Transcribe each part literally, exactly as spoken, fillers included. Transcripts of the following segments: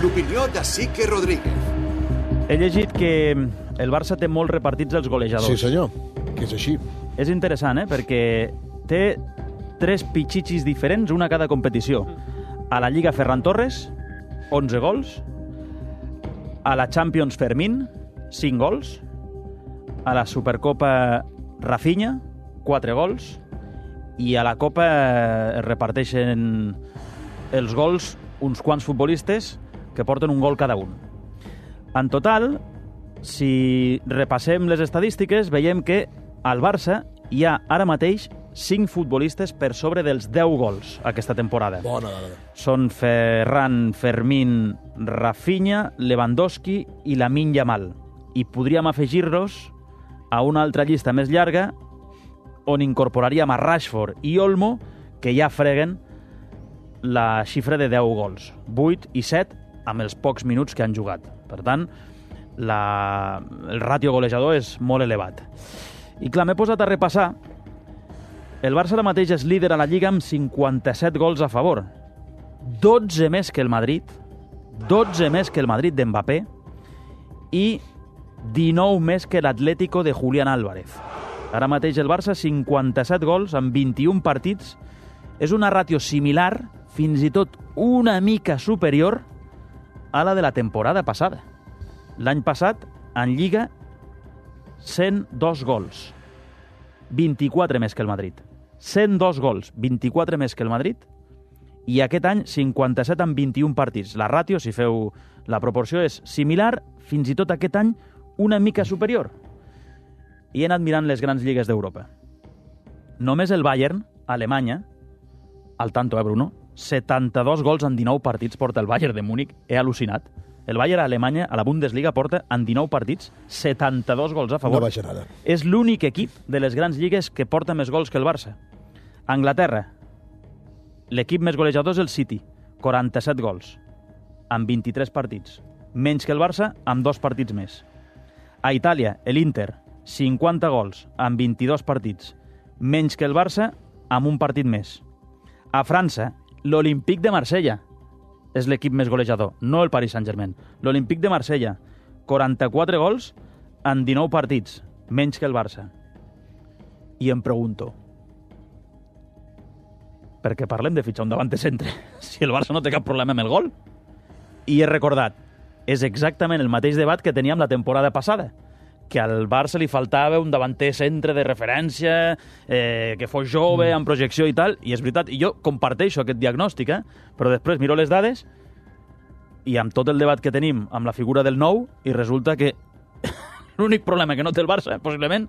L'opinió de Sique Rodríguez. He llegit que el Barça té molt repartits els golejadors. Sí, senyor, que és així. És interessant, eh? Perquè té tres pitxichis diferents, una a cada competició. A la Lliga Ferran Torres, onze gols. A la Champions Fermín, cinc gols. A la Supercopa Rafinha, quatre gols. I a la Copa es reparteixen els gols uns quants futbolistes que porten un gol cada un. En total, si repassem les estadístiques, veiem que al Barça hi ha ara mateix cinc futbolistes per sobre dels deu gols aquesta temporada. Bona dada. Són Ferran, Fermín, Rafinha, Lewandowski i Lamine Yamal. I podríem afegir-los a una altra llista més llarga on incorporaríem a Rashford i Olmo, que ja freguen la xifra de deu gols. vuit i set amb els pocs minuts que han jugat. Per tant, la... el ràtio golejador és molt elevat. I clar, m'he posat a repassar. El Barça ara mateix és líder a la Lliga amb cinquanta-set gols a favor. dotze més que el Madrid, dotze més que el Madrid d'Mbappé i dinou més que l'Atlético de Julián Álvarez. Ara mateix el Barça, cinquanta-set gols en vint-i-un partits. És una ràtio similar, fins i tot una mica superior a la de la temporada passada. L'any passat, en Lliga, cent dos gols. vint-i-quatre més que el Madrid. cent dos gols, vint-i-quatre més que el Madrid. I aquest any, cinquanta-set en vint-i-un partits. La ràtio, si feu la proporció, és similar, fins i tot aquest any, una mica superior. I he anat mirant les grans lligues d'Europa. Només el Bayern, a Alemanya, al tanto, eh, Bruno? setanta-dos gols en dinou partits porta el Bayern de Múnich. He al·lucinat. El Bayern a Alemanya, a la Bundesliga, porta en dinou partits setanta-dos gols a favor. No baixa nada. És l'únic equip de les grans lligues que porta més gols que el Barça. A Anglaterra, l'equip més golejador és el City, quaranta-set gols, en vint-i-tres partits. Menys que el Barça, amb dos partits més. A Itàlia, l'Inter, cinquanta gols, en vint-i-dos partits. Menys que el Barça, amb un partit més. A França, l'Olympique de Marsella és l'equip més golejador, no el Paris Saint-Germain. L'Olympique de Marsella, quaranta-quatre gols en dinou partits, menys que el Barça. I em pregunto, per què parlem de fitxar un davanter centre si el Barça no té cap problema amb el gol? I he recordat, és exactament el mateix debat que teníem la temporada passada, que al Barça li faltava un davanter centre de referència, eh, que fos jove, amb projecció i tal, i és veritat, i jo comparteixo aquest diagnòstic, eh? Però després miro les dades i amb tot el debat que tenim amb la figura del nou, i resulta que l'únic problema que no té el Barça, possiblement,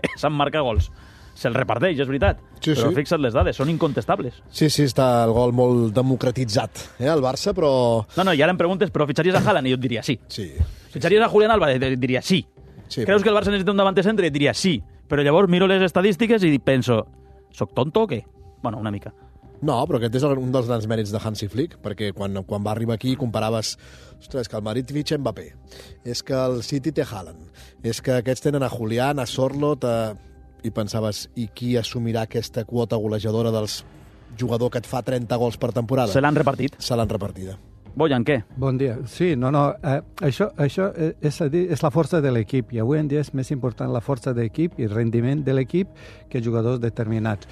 és en marcar gols. Se'l reparteix, és veritat, sí, però sí. Fixa't les dades, són incontestables. Sí, sí, està el gol molt democratitzat, eh, el Barça, però... No, no, i ara em preguntes, però fitxaries a Haaland? I jo et diria sí. Sí. Fitxaries a Julián Álvarez? Et diria sí. Sí, Creus però... que el Barça necessita un davanter centre? I et diria sí. Però llavors miro les estadístiques i penso, soc tonto o què? Bueno, una mica. No, però aquest és un dels grans mèrits de Hansi Flick, perquè quan, quan va arribar aquí comparaves, ostres, que el Madrid fitxa Mbappé, és que el City té Haaland, és que aquests tenen a Julián, a Sorloth, a... i pensaves, i qui assumirà aquesta quota golejadora dels jugador que et fa trenta gols per temporada? Se l'han repartit. Se l'han repartida. Bojan, què? Bon dia. Sí, no, no, eh, això, això és, a dir, és la força de l'equip, i avui en dia és més important la força de l'equip i el rendiment de l'equip que jugadors determinats.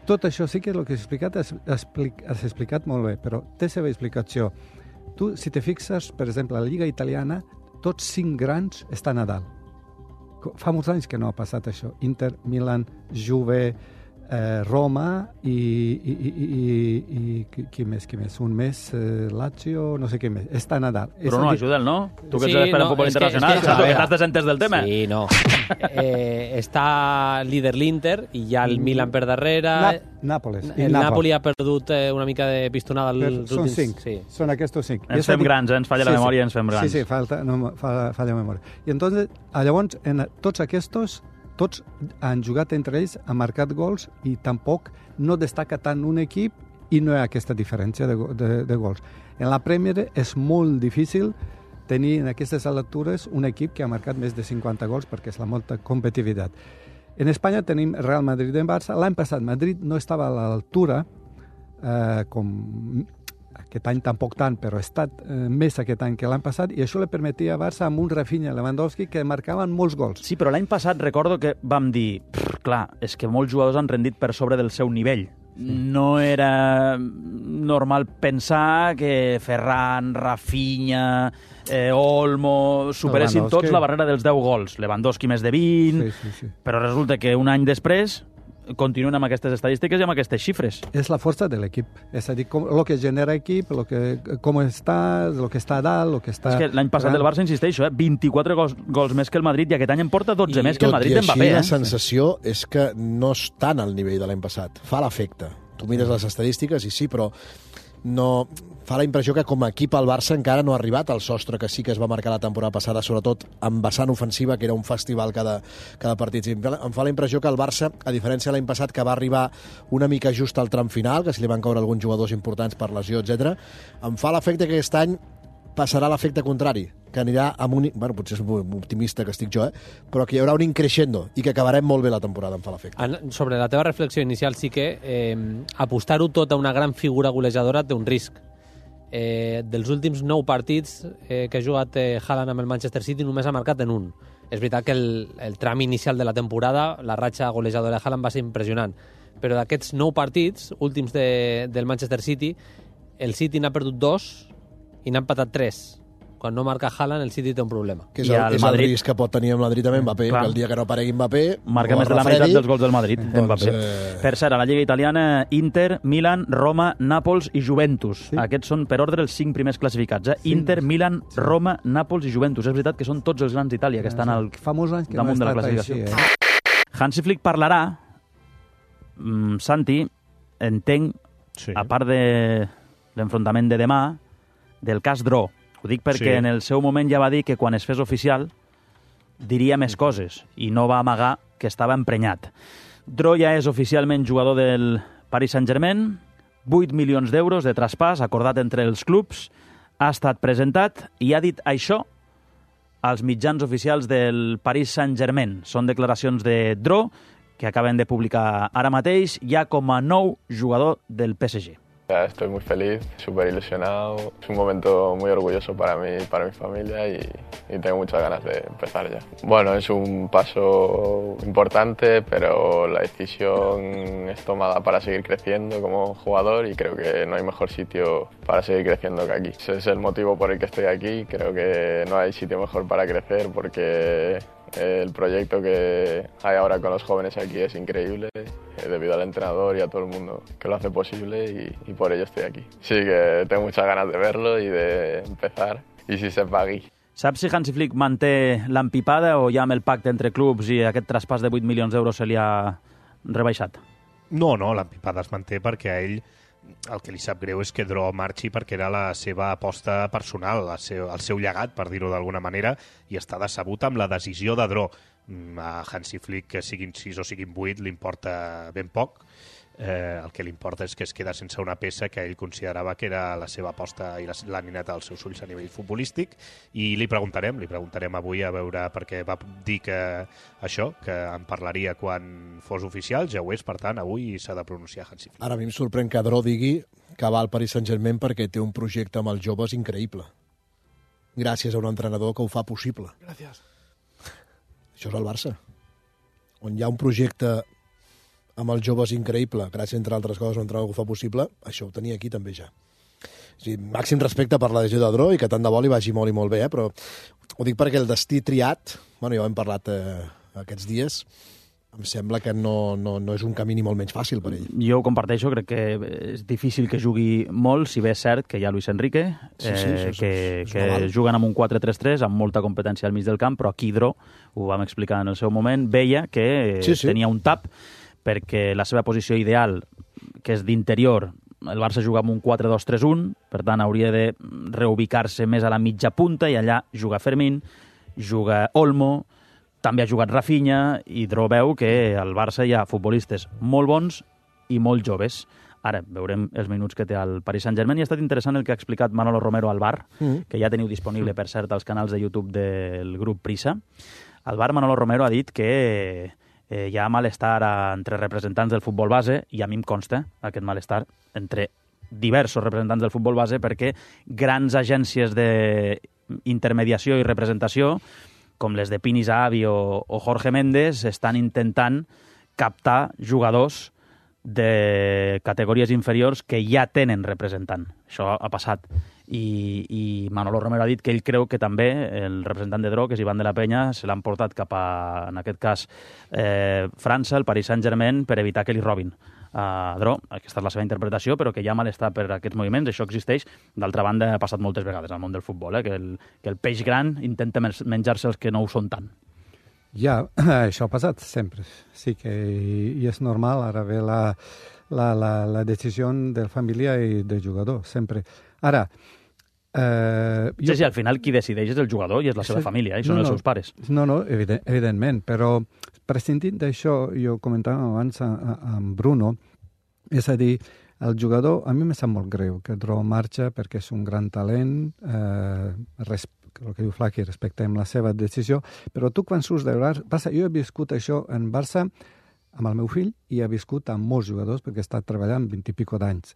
Tot això sí que el que has explicat has, explic, has explicat molt bé, però té seva explicació. Tu, si te fixes, per exemple, a la Lliga Italiana, tots cinc grans estan a dalt. Fa molts anys que no ha passat això. Inter, Milan, Juve, eh, Roma i, i, i, i, i qui més, qui més? Un més, eh, Lazio, no sé què més. Està a Nadal. Però no, ajuda'l, no? Tu que Sí, ets l'expert en no, futbol és que- internacional, és que- saps? a Que veure. estàs desentes del tema. Sí, no. Eh, està líder l'Inter i hi ha el Milan per darrere. Na Nàpoles. i El Nàpols. Napoli ha perdut eh, una mica de pistonada Però als són últims... cinc, Sí. són aquests cinc. I Ens és a fem dir- grans, eh? Ens falla la memòria i ens fem grans. Sí, sí, falta, no, fa, falla la memòria. I entonces, llavors, en tots aquests, tots han jugat entre ells, han marcat gols i tampoc no destaca tant un equip i no hi ha aquesta diferència de, go- de, de gols. En la Premier és molt difícil tenir en aquestes altures un equip que ha marcat més de cinquanta gols perquè és la molta competitivitat. En Espanya tenim Real Madrid i Barça. L'any passat Madrid no estava a l'altura eh, com aquest any tampoc tant, però ha estat eh, més aquest any que l'any passat, i això li permetia a Barça amb un Rafinha i Lewandowski que marcaven molts gols. Sí, però l'any passat recordo que vam dir, clar, és que molts jugadors han rendit per sobre del seu nivell. No era normal pensar que Ferran, Rafinha, eh, Olmo superessin tots la barrera dels deu gols. Lewandowski més de vint, sí, sí, sí. Però resulta que un any després continuen amb aquestes estadístiques i amb aquestes xifres. És la força de l'equip. És a dir, com, el que genera equip, lo que, com està, el que està a dalt, el que està... És que l'any passat el Barça, insisteixo, eh, vint-i-quatre gols, gols més que el Madrid, i aquest any en porta dotze I més que el Madrid d'Mbappé. Tot i així, eh? la sensació és que no estan al nivell de l'any passat. Fa l'efecte. Tu mires les estadístiques i sí, però no... fa la impressió que com a equip el Barça encara no ha arribat al sostre que sí que es va marcar la temporada passada, sobretot amb vessant ofensiva, que era un festival cada, cada partit. Em fa la impressió que el Barça, a diferència de l'any passat, que va arribar una mica just al tram final, que se li van caure alguns jugadors importants per lesió, etcètera, em fa l'efecte que aquest any passarà l'efecte contrari, que anirà amb un... Bueno, potser és optimista que estic jo, eh? Però que hi haurà un increixendo i que acabarem molt bé la temporada, em fa l'efecte. Sobre la teva reflexió inicial, sí que eh, apostar-ho tot a una gran figura golejadora té un risc. Eh, dels últims nou partits eh, que ha jugat eh, Haaland amb el Manchester City només ha marcat en un. És veritat que el, el tram inicial de la temporada, la ratxa golejadora de Haaland va ser impressionant, però d'aquests nou partits últims de, del Manchester City, el City n'ha perdut dos i n'ha empatat tres. Quan no marca Haaland, el City té un problema. Que és el, el, és Madrid... el risc que pot tenir amb Madrid amb Mbappé, que el dia que no aparegui Mbappé... Marca més de la meitat dels gols del Madrid, doncs, Mbappé. Eh... Per cert, a la Lliga Italiana, Inter, Milan, Roma, Nàpols i Juventus. Sí. Aquests són per ordre els cinc primers classificats. Eh? Sí. Inter, Milan, sí. Roma, Nàpols i Juventus. És veritat que són tots els grans d'Itàlia que estan al que damunt no de la classificació. Així, eh? Hansi Flick parlarà, mm, Santi, entenc, sí. a part de l'enfrontament de demà, del cas Dró. Ho dic perquè sí. en el seu moment ja va dir que quan es fes oficial diria més coses i no va amagar que estava emprenyat. Dró ja és oficialment jugador del Paris Saint-Germain, vuit milions d'euros de traspàs acordat entre els clubs, ha estat presentat i ha dit això als mitjans oficials del Paris Saint-Germain. Són declaracions de Dró que acaben de publicar ara mateix ja com a nou jugador del P S G. Estoy muy feliz, súper ilusionado. Es un momento muy orgulloso para mí y para mi familia y, y tengo muchas ganas de empezar ya. Bueno, es un paso importante, pero la decisión es tomada para seguir creciendo como jugador y creo que no hay mejor sitio para seguir creciendo que aquí. Ese es el motivo por el que estoy aquí. Creo que no hay sitio mejor para crecer porque el proyecto que hay ahora con los jóvenes aquí es increíble, debido al entrenador y a todo el mundo que lo hace posible y, y por ello estoy aquí. Sí que tengo muchas ganas de verlo y de empezar, y si se pagui. Saps si Hansi Flick manté l'empipada o ja amb el pacte entre clubs i aquest traspàs de vuit milions d'euros se li ha rebaixat? No, no, l'empipada es manté perquè a ell el que li sap greu és que Dró marxi perquè era la seva aposta personal, el seu, el seu llegat, per dir-ho d'alguna manera, i està decebut amb la decisió de Dró. A Hansi Flick, que siguin sis o siguin vuit, li importa ben poc. Eh, el que li importa és que es queda sense una peça que ell considerava que era la seva aposta i la nineta dels seus ulls a nivell futbolístic, i li preguntarem, li preguntarem avui a veure, perquè va dir que això, que en parlaria quan fos oficial, ja ho és, per tant, avui s'ha de pronunciar Hansi Flick. Ara a mi em sorprèn que Dró digui que va al Paris Saint-Germain perquè té un projecte amb els joves increïble. Gràcies a un entrenador que ho fa possible. Gràcies. Això és el Barça, on hi ha un projecte amb els joves increïble, gràcies, entre altres coses, un entrenador que ho fa possible, això ho tenia aquí també ja. O sigui, màxim respecte per la decisió de Dró i que tant de bo li vagi molt i molt bé, eh? Però ho dic perquè el destí triat, bueno, ja ho hem parlat eh, aquests dies, em sembla que no, no, no és un camí ni molt menys fàcil per ell. Jo ho comparteixo, crec que és difícil que jugui molt, si bé és cert que hi ha Luis Enrique, sí, sí, eh, sí, que, sí, que normal. juguen amb un quatre tres tres, amb molta competència al mig del camp, però aquí Dró, ho vam explicar en el seu moment, veia que sí, sí. tenia un tap, perquè la seva posició ideal, que és d'interior, el Barça juga amb un quatre dos tres un, per tant hauria de reubicar-se més a la mitja punta, i allà juga Fermín, juga Olmo, també ha jugat Rafinha, i Dró veu que al Barça hi ha futbolistes molt bons i molt joves. Ara veurem els minuts que té el Paris Saint-Germain, i ha estat interessant el que ha explicat Manolo Romero al bar, mm. que ja teniu disponible, per cert, als canals de YouTube del grup Prisa. Al bar Manolo Romero ha dit que eh, hi ha malestar entre representants del futbol base, i a mi em consta aquest malestar entre diversos representants del futbol base perquè grans agències d'intermediació i representació, com les de Pini Zahavi o, o Jorge Méndez, estan intentant captar jugadors de categories inferiors que ja tenen representant. Això ha passat. I, i Manolo Romero ha dit que ell creu que també el representant de Dro, que és Ivan de la Peña, se l'han portat cap a, en aquest cas, eh, França, el Paris Saint-Germain, per evitar que li robin a Dro. Aquesta és la seva interpretació, però que hi ha malestar per aquests moviments. Això existeix. D'altra banda, ha passat moltes vegades al món del futbol, eh, que, el, que el peix gran intenta menjar-se els que no ho són tant. Ja, això ha passat sempre. Sí que i és normal, ara ve la, la, la, la decisió de família i del jugador, sempre. Ara, eh, jo... Sí, sí, al final qui decideix és el jugador i és la seva sí, família, i són no, els seus pares. No, no, evident, evidentment, però prescindint d'això, jo comentava abans amb Bruno, és a dir, el jugador, a mi me sap molt greu que Dro marxa perquè és un gran talent, eh, res, el que diu Flaqui, respectem la seva decisió, però tu quan surts de Barça, jo he viscut això en Barça amb el meu fill i he viscut amb molts jugadors perquè he estat treballant vint i pico d'anys.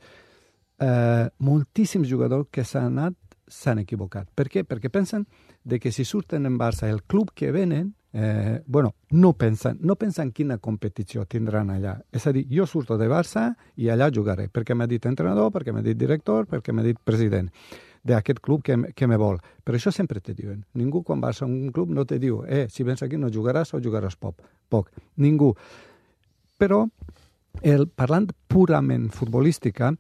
Eh, moltíssims jugadors que s'han anat s'han equivocat. Per què? Perquè pensen de que si surten en Barça el club que venen, eh, bueno, no pensen, no pensen quina competició tindran allà. És a dir, jo surto de Barça i allà jugaré, perquè m'ha dit entrenador, perquè m'ha dit director, perquè m'ha dit president d'aquest club que, que me vol. Per això sempre te diuen. Ningú quan vas a un club no te diu eh, si vens aquí no jugaràs o jugaràs poc. poc. Ningú. Però, el, parlant purament futbolística,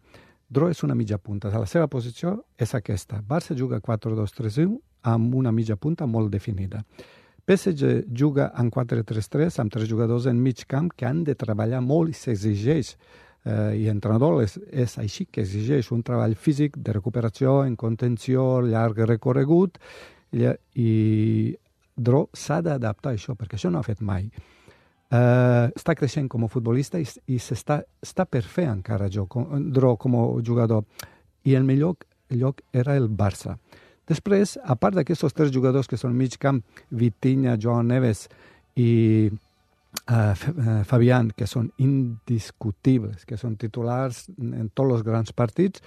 Dro és una mitja punta. La seva posició és aquesta. Barça juga quatre dos tres u amb una mitja punta molt definida. P S G juga en quatre tres tres amb tres jugadors en mig camp que han de treballar molt i s'exigeix. Eh, I l'entrenador és, és així que exigeix un treball físic de recuperació, en contenció, llarg recorregut, i, i Dro s'ha d'adaptar a això, perquè això no ha fet mai. Uh, està creixent com a futbolista i, i s'està, està per fer encara jo, com, Dro com a jugador. I el millor lloc era el Barça. Després, a part d'aquests tres jugadors que són mig camp, Vitinha, Joan Neves i uh, Fabián, que són indiscutibles, que són titulars en tots els grans partits,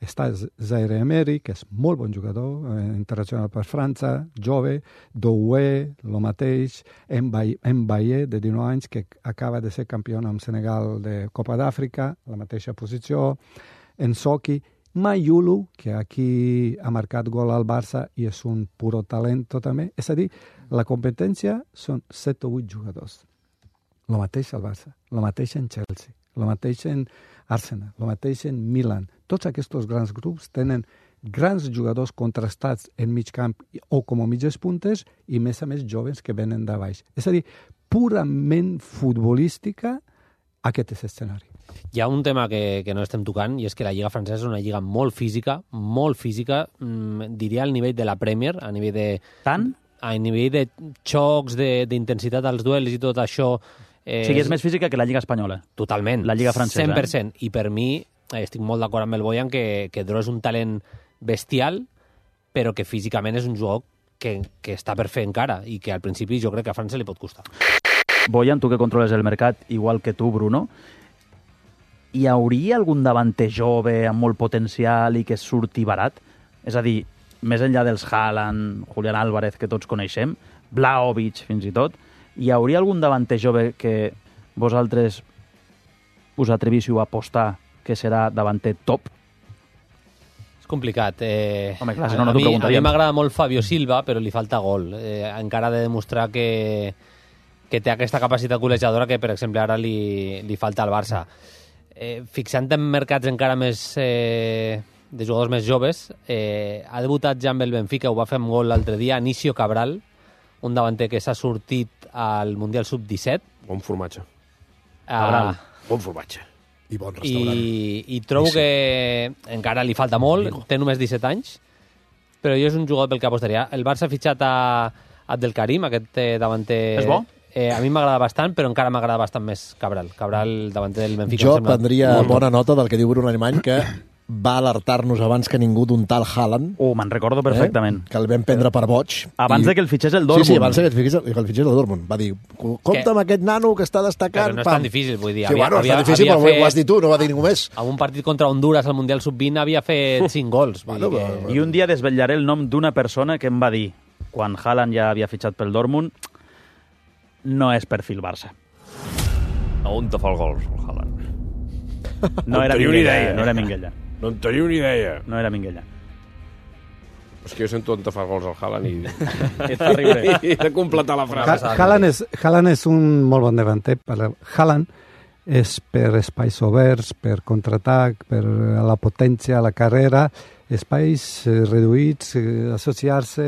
està Zaire Emery, que és molt bon jugador, eh, internacional per França, jove, Doué, el mateix, Mbaye, de dinou anys, que acaba de ser campió amb Senegal de Copa d'Àfrica, la mateixa posició, Ensoki, Mayulu, que aquí ha marcat gol al Barça i és un puro talento també. És a dir, la competència són set o vuit jugadors. El mateix al Barça, el mateix en Chelsea, el mateix en Arsenal, el mateix en Milan. Tots aquests grans grups tenen grans jugadors contrastats en mig camp o com a mitges puntes i, més a més, joves que venen de baix. És a dir, purament futbolística, aquest és l'escenari. Hi ha un tema que, que no estem tocant i és que la Lliga francesa és una lliga molt física, molt física, mmm, diria al nivell de la Premier, a nivell de... Tant? A nivell de xocs, d'intensitat als duels i tot això... Eh, o sigui, és més física que la Lliga espanyola. Totalment. La Lliga francesa. cent per cent. I per mi, eh, estic molt d'acord amb el Boyan, que, que Dro és un talent bestial, però que físicament és un jugador que, que està per fer encara i que al principi jo crec que a França li pot costar. Boyan, tu que controles el mercat, igual que tu, Bruno, hi hauria algun davanter jove amb molt potencial i que surti barat? És a dir, més enllà dels Haaland, Julián Álvarez, que tots coneixem, Vlahovic, fins i tot, hi hauria algun davanter jove que vosaltres us atrevíssiu a apostar que serà davanter top? És complicat. Eh, Home, clar, si no, no a, mi, a mi m'agrada m'agrada molt Fabio Silva, però li falta gol. Eh, encara ha de demostrar que, que té aquesta capacitat golejadora que, per exemple, ara li, li falta al Barça. Eh, fixant en mercats encara més... Eh, de jugadors més joves, eh, ha debutat ja amb el Benfica, ho va fer amb gol l'altre dia, Anício Cabral, un davanter que s'ha sortit al Mundial sub disset. Bon formatge. Uh, bon formatge. I bon restaurant. I, i trobo sí. que encara li falta molt, Amigo. Té només disset anys, però jo és un jugador pel que apostaria. El Barça ha fitxat a Abdelkarim, aquest eh, davanter... És bo? Eh, a mi m'agrada bastant, però encara m'agrada bastant més Cabral. Cabral, davanter del Benfica. Jo prendria bona nota del que diu Bruno Alemany, que va alertar-nos abans que ningú d'un tal Haaland. Oh, me'n recordo perfectament. Eh? Que el vam prendre per boig. Abans I... de que el fitxés el Dortmund. Sí, sí, abans de que el fitxés el, el, fitxés el Dortmund. Va dir, compte que... amb aquest nano que està destacant. Però no és pam. tan difícil, vull dir. Sí, havia, bueno, havia, és tan difícil, però fet... ho has dit tu, no va dir ningú més. En un partit contra Honduras al Mundial sub vint havia fet cinc gols. Bueno, que... però... I un dia desvetllaré el nom d'una persona que em va dir, quan Haaland ja havia fitxat pel Dortmund, no és perfil Barça. On te fa el gol, el Haaland? No era Minguella, no era Minguella. No en teniu ni idea. No era Minguella. És que jo sento on te fa gols el Haaland i... És terrible. I de completar la frase. Ha Haaland, és, Haaland és un molt bon davanter. Haaland és per espais oberts, per contraatac, per la potència, la carrera, espais eh, reduïts, eh, associar-se,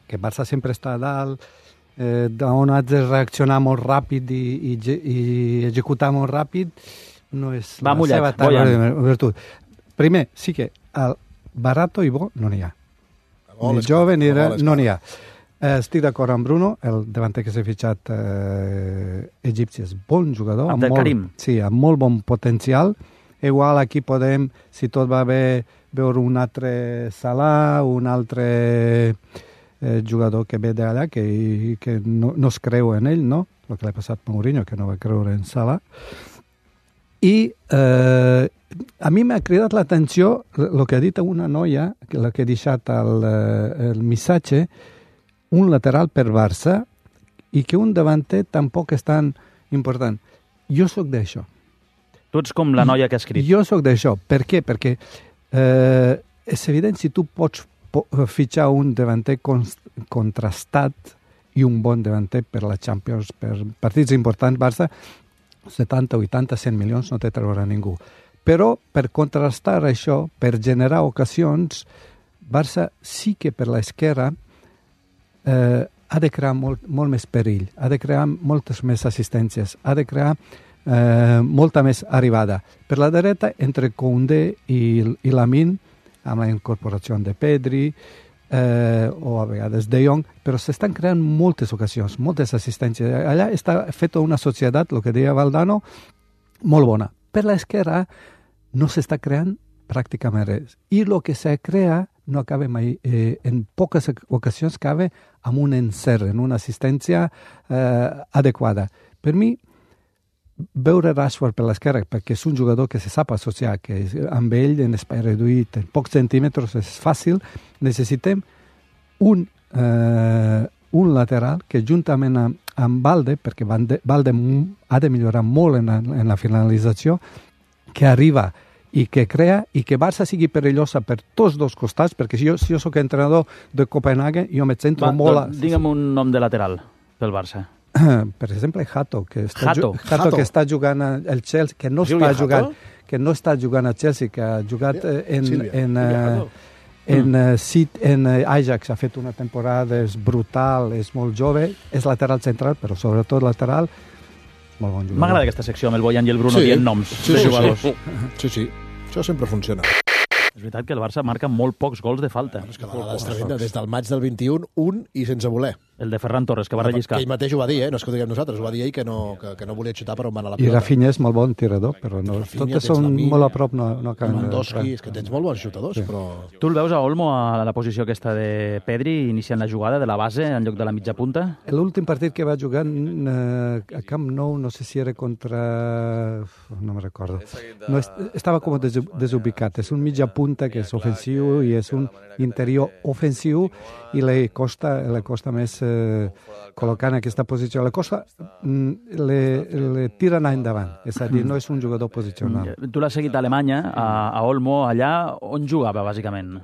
que Barça sempre està a dalt, eh, on has de reaccionar molt ràpid i, i, i executar molt ràpid, no és Va la mullat, seva taula virtut. Primer, sí que el barato i bo no n'hi ha. Ni jove ni era, no n'hi ha. Eh, estic d'acord amb Bruno, el davanter que s'ha fitxat eh, egipci és bon jugador, amb Abdelkarim. molt, sí, amb molt bon potencial. Igual aquí podem, si tot va bé, veure un altre Salah, un altre eh, jugador que ve d'allà, que, que no, no es creu en ell, no? El que l'ha passat a Mourinho, que no va creure en Salah. I eh, a mi m'ha cridat l'atenció el que ha dit una noia, la que ha deixat el, el missatge, un lateral per Barça i que un davanter tampoc és tan important. Jo sóc d'això. Tu ets com la noia que ha escrit. Jo sóc d'això. Per què? Perquè eh, és evident si tu pots po fitxar un davanter contrastat i un bon davanter per la Champions, per partits importants, Barça, setanta, vuitanta, cent milions no te traurà ningú. Però per contrastar això, per generar ocasions, Barça sí que per l'esquerra eh, ha de crear molt, molt més perill, ha de crear moltes més assistències, ha de crear eh, molta més arribada. Per la dreta, entre Koundé i, i Lamine, amb la incorporació de Pedri, eh, o a vegades De Jong, però s'estan creant moltes ocasions, moltes assistències. Allà està feta una societat, el que deia Valdano, molt bona. Per l'esquerra no s'està creant pràcticament res. I el que se crea no acaba mai, eh, en poques ocasions acaba amb un encert, en una assistència eh, adequada. Per mi, veure Rashford per l'esquerra, perquè és un jugador que se sap associar, que amb ell en espai reduït, en pocs centímetres, és fàcil, necessitem un, eh, un lateral que juntament amb, amb Valde, perquè Valde, Valde ha de millorar molt en la, en la finalització, que arriba i que crea i que Barça sigui perillosa per tots dos costats, perquè si jo, si jo soc entrenador de Copenhagen, jo me centro Va, molt... Doncs, digue'm un nom de lateral pel Barça. Per exemple, Hato, que està, Hato. Hato, Hato. que està jugant al Chelsea, que no Silvia està jugant, Hato? que no està jugant al Chelsea, que ha jugat eh, en, Silvia. en, Silvia eh, Hato. en, eh, Sit- en eh, Ajax, ha fet una temporada, és brutal, és molt jove, és lateral central, però sobretot lateral, molt bon jugador. M'agrada aquesta secció amb el Boyan i el Bruno Sí. dient noms Sí, de sí, jugadors. sí. Sí, sí. Això sempre funciona. És veritat que el Barça marca molt pocs gols de falta. És que la dada és tremenda. Des del maig del vint-i-un, un i sense voler. El de Ferran Torres, que va relliscar. Que ell mateix ho va dir, eh? No és que ho diguem nosaltres, ho va dir ell que no, que, que no volia xutar per on va anar la I pilota. Rafinha és molt bon tirador, però no, Rafinha, totes tens són Lamine, molt a prop, no, no acaben de- Lewandowski, és que tens molt bons xutadors, Sí. però... Tu el veus a Olmo a la posició aquesta de Pedri, iniciant la jugada de la base en lloc de la mitja punta? L'últim partit que va jugar eh, a Camp Nou, no sé si era contra... no me recordo. No, est estava com des desubicat. És un mitja punta que és ofensiu i és un interior ofensiu i li costa, li costa més eh, col·locar en aquesta posició. Le costa, mm, le, le tira anar endavant. És a dir, no és un jugador posicional. Tu l'has seguit a Alemanya, a, a Olmo, allà on jugava, bàsicament?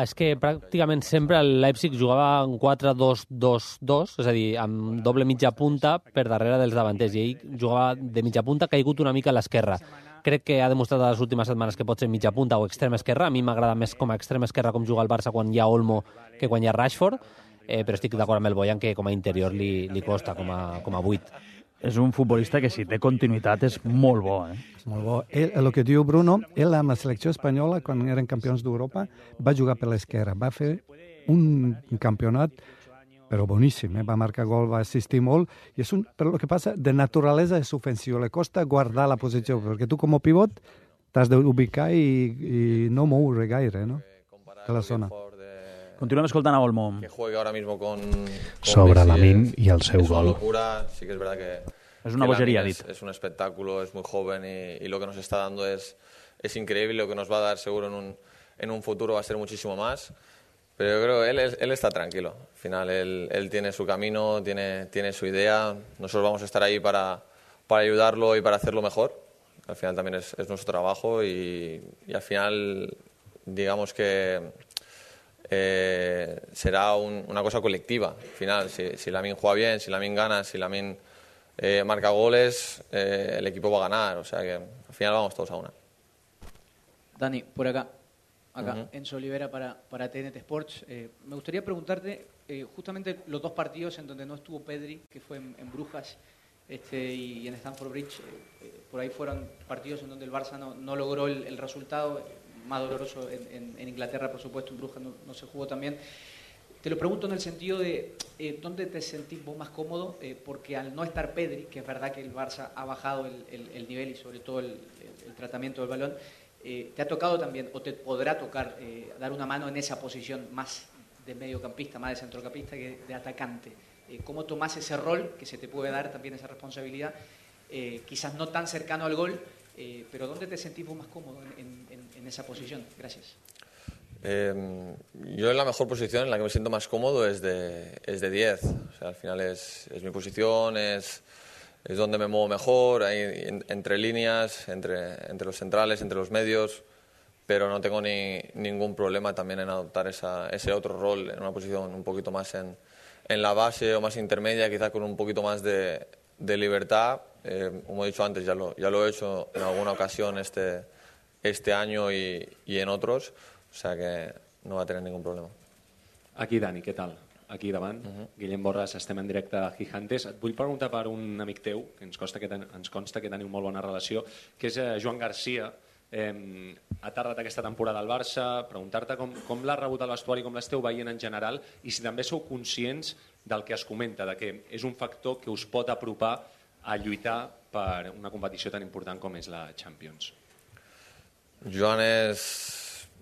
És que pràcticament sempre el Leipzig jugava en quatre dos dos dos, és a dir, amb doble mitja punta per darrere dels davanters, i ell jugava de mitja punta, caigut una mica a l'esquerra. Crec que ha demostrat a les últimes setmanes que pot ser mitja punta o extrema esquerra. A mi m'agrada més com a extrema esquerra com juga el Barça quan hi ha Olmo que quan hi ha Rashford, eh, però estic d'acord amb el Boyan que com a interior li, li costa, com a, com a vuit. És un futbolista que, si té continuïtat, és molt bo. Eh? És molt bo. Ell, el que diu Bruno, ell amb la selecció espanyola, quan eren campions d'Europa, va jugar per l'esquerra. Va fer un campionat però boníssim, eh? Va marcar gol, va assistir molt, i és un, però el que passa, de naturalesa és ofensiu, le costa guardar la posició, perquè tu com a pivot t'has d'ubicar i, i no moure gaire, no?, de la zona. Continuem escoltant a Olmo. Que juegue ahora mismo con, con Sobre Messi Lamine es, y el seu es una gol. locura. Sí que es verdad que es una que bogería, Lamine dit. Es, es un espectáculo, es muy joven y, y lo que nos está dando es, es increíble. Lo que nos va a dar seguro en un, en un futuro va a ser muchísimo más. Pero yo creo que él, él está tranquilo. Al final él, él tiene su camino, tiene, tiene su idea. Nosotros vamos a estar ahí para, para ayudarlo y para hacerlo mejor. Al final también es, es nuestro trabajo y, y al final digamos que eh, será un, una cosa colectiva. Al final, si, si Lamine juega bien, si Lamine gana, si Lamine eh, marca goles, eh, el equipo va a ganar. O sea que al final vamos todos a una. Dani, por acá. Acá, Uh-huh. Enzo Olivera para, para T N T Sports. Eh, me gustaría preguntarte eh, justamente los dos partidos en donde no estuvo Pedri, que fue en, en Brujas este, y, y en Stamford Bridge. Eh, eh, por ahí fueron partidos en donde el Barça no, no logró el, el resultado, más doloroso en, en, en Inglaterra, por supuesto, en Brujas no, no se jugó también. Te lo pregunto en el sentido de eh, ¿dónde te sentís vos más cómodo? Eh, porque al no estar Pedri, que es verdad que el Barça ha bajado el, el, el nivel y sobre todo el, el, el tratamiento del balón, Eh, ¿te ha tocado también, o te podrá tocar, eh, dar una mano en esa posición más de mediocampista, más de centrocampista que de atacante? Eh, ¿Cómo tomás ese rol, que se te puede dar también esa responsabilidad, eh, quizás no tan cercano al gol, eh, pero ¿dónde te sentís vos más cómodo en, en, en esa posición? Gracias. Eh, yo en la mejor posición, en la que me siento más cómodo, es de, es de diez. O sea, al final es, es mi posición, es... es donde me muevo mejor, ahí en, entre líneas, entre, entre los centrales, entre los medios, pero no tengo ni, ningún problema también en adoptar esa, ese otro rol en una posición un poquito más en, en la base o más intermedia, quizás con un poquito más de, de libertad. Eh, como he dicho antes, ya lo, ya lo he hecho en alguna ocasión este, este año y, y en otros, o sea que no va a tener ningún problema. Aquí, Dani, què tal? Aquí davant, uh-huh. Guillem Borràs, estem en directe a Gigantes. Et vull preguntar per un amic teu, que ens consta que, ten, ens consta que teniu molt bona relació, que és eh, Joan Garcia. Eh, ha tardat aquesta temporada al Barça, preguntar-te com, com l'ha rebut al vestuari, com l'esteu veient en general, i si també sou conscients del que es comenta, de que és un factor que us pot apropar a lluitar per una competició tan important com és la Champions. Joan és,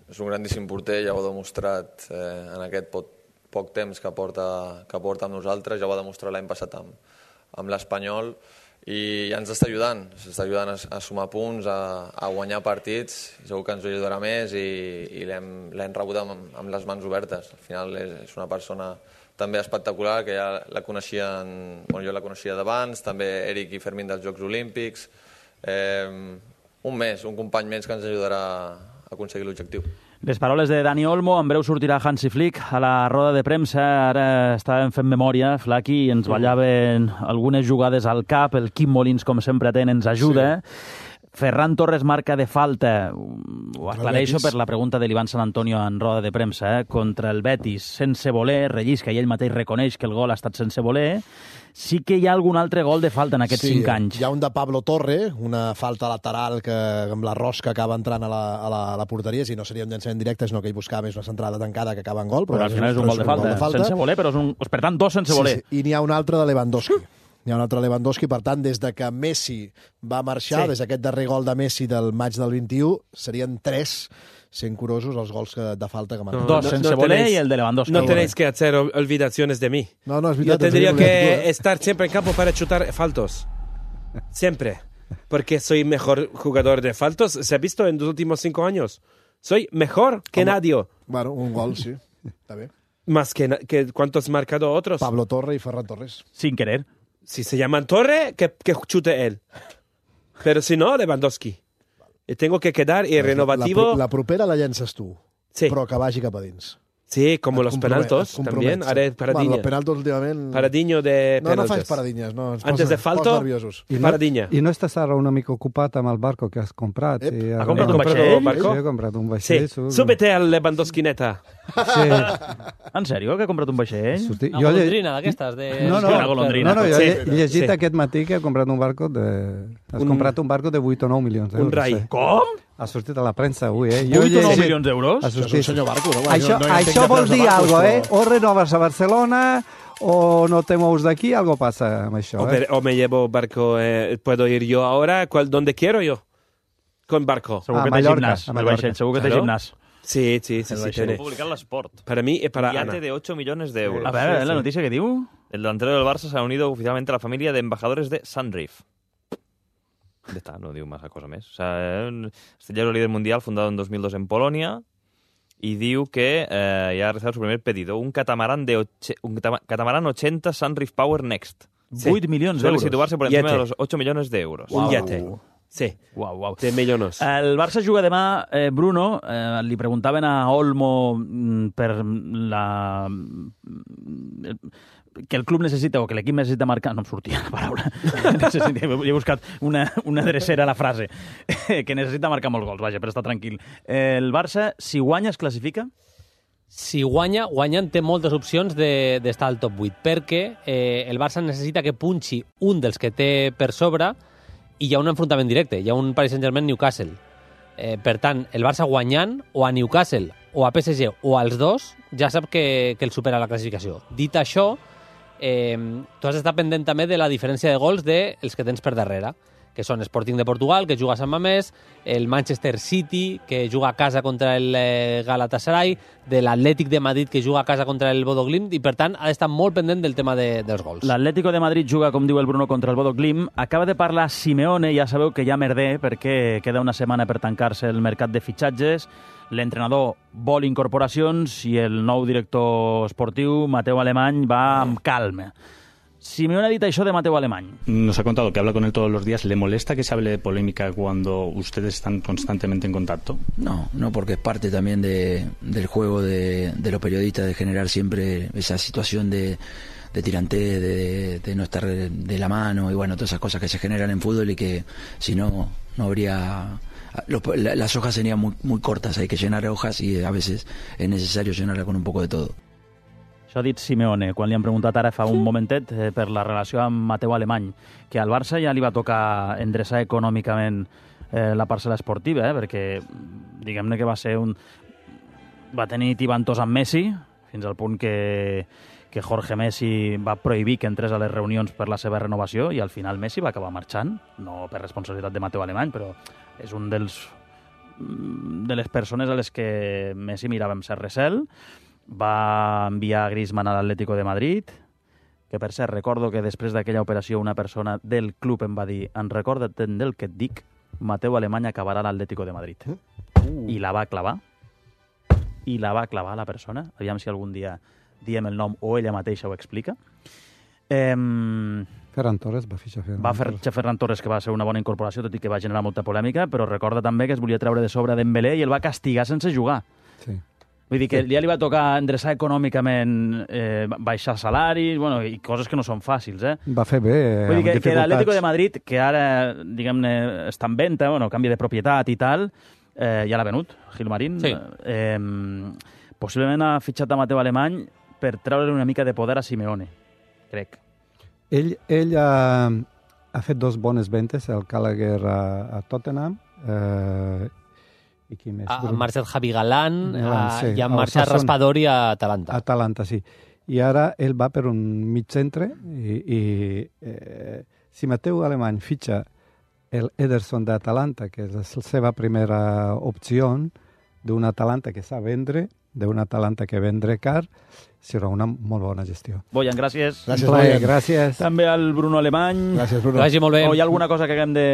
és un grandíssim porter, ja ho ha demostrat eh, en aquest pot poc temps que porta, que porta amb nosaltres, ja ho va demostrar l'any passat amb, amb l'Espanyol i ja ens està ajudant, ens està ajudant a, a sumar punts, a, a guanyar partits, segur que ens ajudarà més i, i l'hem rebut amb, amb les mans obertes. Al final és, és una persona també espectacular, que ja la coneixien, bueno, jo la coneixia d'abans, també Eric i Fermín dels Jocs Olímpics, eh, un més, un company més que ens ajudarà a aconseguir l'objectiu. Les paraules de Dani Olmo, en breu sortirà Hansi Flick a la roda de premsa. Ara estàvem fent memòria, Flaqui, i ens ballaven algunes jugades al cap. El Quim Molins, com sempre ten, ens ajuda. Sí. Ferran Torres marca de falta, ho aclareixo per la pregunta de l'Ivan Sant Antonio en roda de premsa, eh? Contra el Betis, sense voler, rellisca i ell mateix reconeix que el gol ha estat sense voler. Sí que hi ha algun altre gol de falta en aquests sí, cinc anys. Hi ha un de Pablo Torre, una falta lateral que amb la rosca acaba entrant a la, a la, a la porteria, si no seria un llançament directe, sinó que ell buscava més una centrada tancada que acaba en gol. Però, però al final és un, gol de, falta, gol de falta, sense voler, però és un... per tant, dos sense sí, voler. Sí. I n'hi ha un altre de Lewandowski. Hi ha un altre Lewandowski, per tant, des de que Messi va marxar, sí. des d'aquest darrer gol de Messi del maig del vint-i-u, serien tres, sent curosos els gols que, de falta que marquen. No, Dos no, sense no voler tenéis, y el de Lewandowski. No tenéis que hacer olvidaciones de mí. No, no, es Yo tendría que estar siempre en campo para chutar faltos. Siempre. Porque soy mejor jugador de faltos. ¿Se ha visto en los últimos cinco años? Soy mejor que Hombre, nadie. Bueno, un gol, sí. Está bien. Más que, que cuántos marcado otros. Pablo Torre y Ferran Torres. Sin querer. Si se llaman Torre, que, que chute él. Pero si no, Lewandowski. I tengo que quedar y renovativo. La, la propera la llences tu, sí. però que vagi cap a dins. Sí, como et los penaltos también. Haré Paradiña. Bueno, los penaltos últimamente... Paradiño de no, penaltes. No, no faig paradinyes. No, Antes de falto, I no, Paradiña. I no estàs ara una mica ocupat amb el barco que has comprat? Ep. I ha comprat un vaixell? Barco? Sí, he comprat un vaixell. Sí. Súbete al Lewandowski neta. Sí. En sèrio, que ha comprat un vaixell? Una golondrina d'aquestes? De... No, no, una golondrina. no, no, jo sí. he llegit sí. aquest matí que ha comprat un barco de... Has un... comprat un barco de vuit o nou milions d'euros. Un rai. Sí. Com? Ha sortit a la premsa avui, eh? vuit o nou milions d'euros? Això és un senyor barco, no? Això, no, no això vol dir alguna cosa, eh? O renoves a Barcelona o no te mous d'aquí, algo pasa amb això, o, eh? o me llevo barco, eh, puedo ir yo ahora, cual, donde quiero yo. con barco. Segur Ah, que té Mallorca, gimnàs. a El Mallorca. vaixell, segur que té Claro. gimnàs. Sí, sí, sí, El sí, vaixell. tiene. Publicar en l'Esport. Para mí es para Ana. Yate de ocho millones de euros. A ver, la noticia que diu... El delantero del Barça se ha unido oficialmente a la familia de embajadores de Sunreef. Ya está, no digo más a cosa més. O sea, este ya es el líder mundial fundado en dos mil dos en Polonia y diu que eh, ya ha realizado su primer pedido, un catamarán de oche, un catamarán ochenta Sunreef Power Next. Sí. vuit milions Suele d'euros. situarse por encima Yate. de los ocho millones de euros. Un yate. Sí. Uau, uau. De millones. El Barça juga demà, eh, Bruno, eh, li preguntaven a Olmo mm, per la... mm, que el club necessita o que l'equip necessita marcar... No em sortia la paraula. Necessita, he buscat una, una drecera a la frase. Que necessita marcar molts gols, vaja, per estar tranquil. El Barça, si guanya, es classifica? Si guanya, guanyant té moltes opcions de- d'estar al top vuit, perquè eh, el Barça necessita que punxi un dels que té per sobre i hi ha un enfrontament directe, hi ha un Paris Saint-Germain-Newcastle. Eh, per tant, el Barça guanyant o a Newcastle o a P S G o als dos, ja sap que, que el supera la classificació. Dit això, eh, tu has d'estar pendent també de la diferència de gols dels que tens per darrere, que són Sporting de Portugal, que juga a Sant Mamés, el Manchester City, que juga a casa contra el eh, Galatasaray, de l'Atlètic de Madrid, que juga a casa contra el Bodo Glimt, i per tant ha d'estar molt pendent del tema de, dels gols. L'Atlético de Madrid juga, com diu el Bruno, contra el Bodo Glimt. Acaba de parlar Simeone, ja sabeu que ja merder, perquè queda una setmana per tancar-se el mercat de fitxatges. L'entrenador vol incorporacions i el nou director esportiu, Mateu Alemany, va amb calma. Simeone ha dit això de Mateu Alemany. Nos ha contado que habla con él todos los días. ¿Le molesta que se hable de polémica cuando ustedes están constantemente en contacto? No, no, porque es parte también de, del juego de, de los periodistas, de generar siempre esa situación de, de tirantez, de, de no estar de la mano y bueno, todas esas cosas que se generan en fútbol y que si no, no habría... Los, la, las hojas serían muy, muy cortas, hay que llenar hojas y a veces es necesario llenarla con un poco de todo. Això ha dit Simeone, quan li han preguntat ara fa un momentet eh, per la relació amb Mateu Alemany, que al Barça ja li va tocar endreçar econòmicament eh, la parcel·la esportiva, eh, perquè diguem-ne que va ser un... va tenir tibantors amb Messi, fins al punt que, que Jorge Messi va prohibir que entrés a les reunions per la seva renovació i al final Messi va acabar marxant, no per responsabilitat de Mateu Alemany, però és un dels de les persones a les que Messi mirava amb cert recel. Va enviar Griezmann a l'Atlético de Madrid, que per cert recordo que després d'aquella operació una persona del club em va dir en recorda't del que et dic, Mateu Alemany acabarà a l'Atlético de Madrid. Uh. I la va clavar. I la va clavar la persona. Aviam si algun dia diem el nom o ella mateixa ho explica. Eh, Ferran Torres va fitxar Ferran va fer Ferran Torres, que va ser una bona incorporació, tot i que va generar molta polèmica, però recorda també que es volia treure de sobre Dembélé i el va castigar sense jugar. Sí. Vull dir que ja li va tocar endreçar econòmicament, eh, baixar salaris, bueno, i coses que no són fàcils, eh? Va fer bé, eh, Vull dir que, amb que l'Atlético dificultats. de Madrid, que ara, diguem-ne, està en venda, bueno, canvi de propietat i tal, eh, ja l'ha venut, Gilmarín. Sí. Eh, possiblement ha fitxat a Mateu Alemany per treure una mica de poder a Simeone, crec. Ell, ell ha, ha fet dos bones ventes, el Gallagher a, a Tottenham, eh, i qui més? Ha marxat Javi Galán, Galán, a, sí, i ha al marxat Sassuolo. Raspadori a Atalanta. A Atalanta, sí. I ara ell va per un mig centre i, i eh, si Mateu Alemany fitxa el Ederson d'Atalanta, que és la seva primera opció, d'un Atalanta que sap vendre, d'un Atalanta que vendre car, serà una molt bona gestió. Boyan, gràcies. Gràcies, Boyan. Gràcies. També al Bruno Alemany. Gràcies, Bruno. Que vagi molt bé. O hi ha alguna cosa que haguem de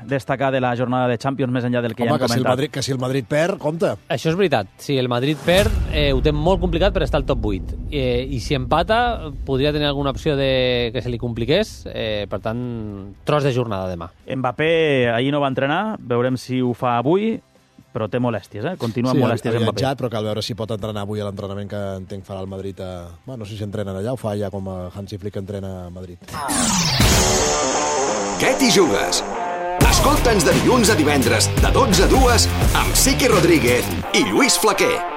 destacar de la jornada de Champions més enllà del que Home, ja hem que si, el comentat? Madrid, que si el Madrid perd, compte. Això és veritat. Si el Madrid perd, eh, ho té molt complicat per estar al top vuit. Eh, I si empata, podria tenir alguna opció de que se li compliqués. Eh, per tant, tros de jornada demà. Mbappé ahir no va entrenar, veurem si ho fa avui, però té molèsties, eh? Continua amb sí, molèsties ha Mbappé. viatjat, però cal veure si pot entrenar avui a l'entrenament que entenc farà el Madrid. A... Bueno, no sé si entrenen allà o fa ja com a Hansi Flick entrena a Madrid. Què t'hi jugues? Escolta'ns de dilluns a divendres, de dotze a dues, amb Sique Rodríguez i Lluís Flaquer.